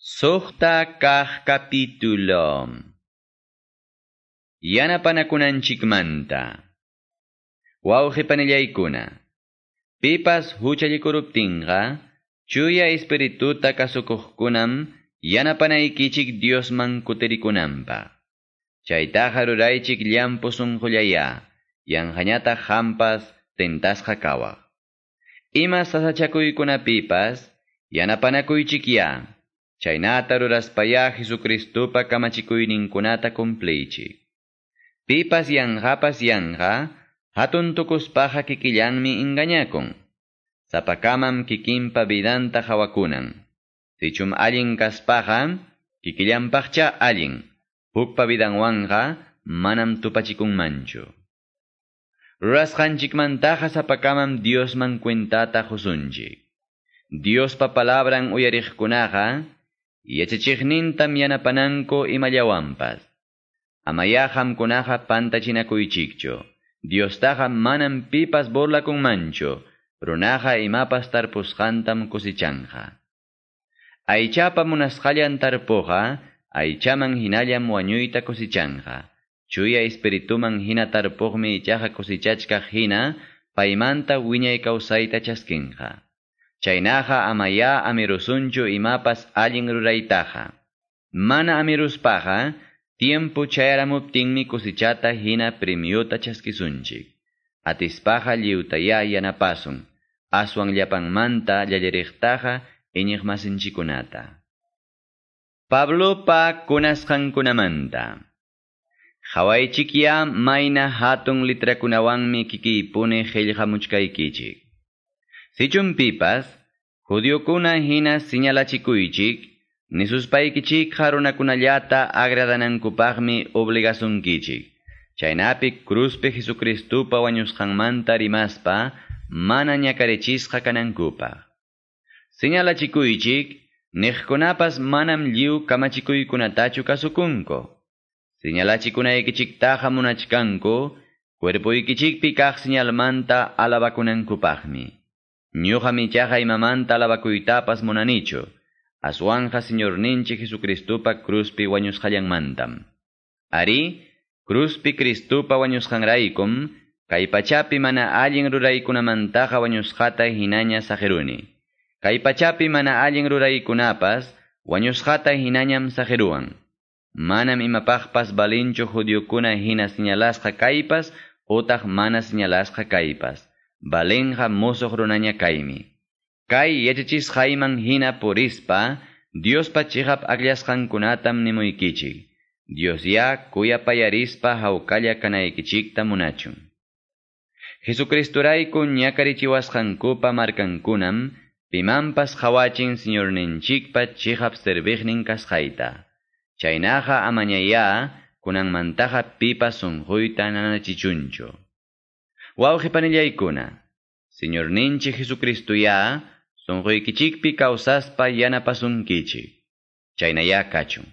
6 kaq capítulo. Yanapanakunanchikmanta. Wawqi panillaykuna. Pipas huchallikuruptinqa, chuya espirituta kasukuqkunam yanapanaykichik Diosman kutirikunanpaq. Chaytaqa ruraychik llampu sunqullaya, yanqañataq hampas tentasqa kawaq. Ima sasachakuykunapipas yanapanakuychikya. Chaynata ruraspaya Jesucristupa kamachikuyninkunata cumpliychik. Pipas yanqapas yanqa, hatun tukuspaqa kikillanmi engañakun. Sapakamam kikinpa vidanta hawakunan. Sichum allin kaspaqa, kikillanpaqcha allin. Hukpa vidanwanqa manam tupachikunmanchu. Rurasqanchikmantaqa sapakamam Diosman cuentata qusunchik. Diospa palabran uyariqkunaqa, yachachiqnintam yanapananku imallawanpas. Amaya qamkunaqa pantachinakuychikchu. Diostaqa manam pipas burlakunmanchu. Runaqa imapas tarpusqantam kusichanqa. Aychapa munasqallan tarpuqa, aychaman hinallam wañuyta kusichanqa. Chuya espirituman hina tarpuqmi ichaqa kusichachkaq hina, paymanta wiñay kawsayta chaskinqa. Chaynaqa amaya amirusunchu imapas allin ruraytaqa. Mana amiruspaqa, tiempo chayaramuptinmi kusichata hina premiota chaskisunchik. Atispaqa lliwtaya yanapasun, aswan llapanmanta llalliriqtaqa iñiqmasinchikunata. Pablopa kunasqankunamanta. Qhawaychikya mayna hatun litrakunawanmi kikiypuni qillqamuchkaykichik. Sichum pipas, judiokuna hina señalachikuychik, nisuspaykichikqa runakunallata agradanankupaqmi obligasunkichik. Chaynapi cruzpi Jesucristupa wañusqanmanta rimaspa mana ñakarichisqa kanankupaq. Señalachikuychik, niqkunapas manam lliw kamachikuykunatachu kasukunku. Señalachikunaykichiktaqa munachkanku, cuerpoykichikpi kaq señalmanta alabakunankupaqmi. Ñuqam ichaqa imamanta alabakuytapas munanichu, aswanja Señorninchik Jesucristupa cruzpi wañusqallanmantam. Ari, cruzpi Cristupa wañusqanraykum, kay pachapi mana allin ruraykunamantaqa wañusqata hinaña saqiruni. Kay pachapi mana allin ruraykunapas wañusqata hinañam saqiruwan. Manam imapaqpas balinchu judiokuna hina señalasqa kaypas utaq mana señalasqa kaypas. Balenqa musuq runaña kaymi. Kay yachachisqayman hina purispa, Diospa chiqap akllasqankunatam nimuykichik. Dios ya kuyapayarispa hawkalla kanaykichikta munachun. Jesucristurayku ñakarichiwasqankupa markankunam, pimanpas qhawachin Señorninchikpa chiqap serviqnin kasqayta. Chaynaqa amañaya kunanmantaqa pipas sunquyta nanachichunchu. Wawqi panillaykuna, Señorninchik Jesucristuya sunquykichikpi kawsaspa yanapasunkichik. Chaynaya kachun.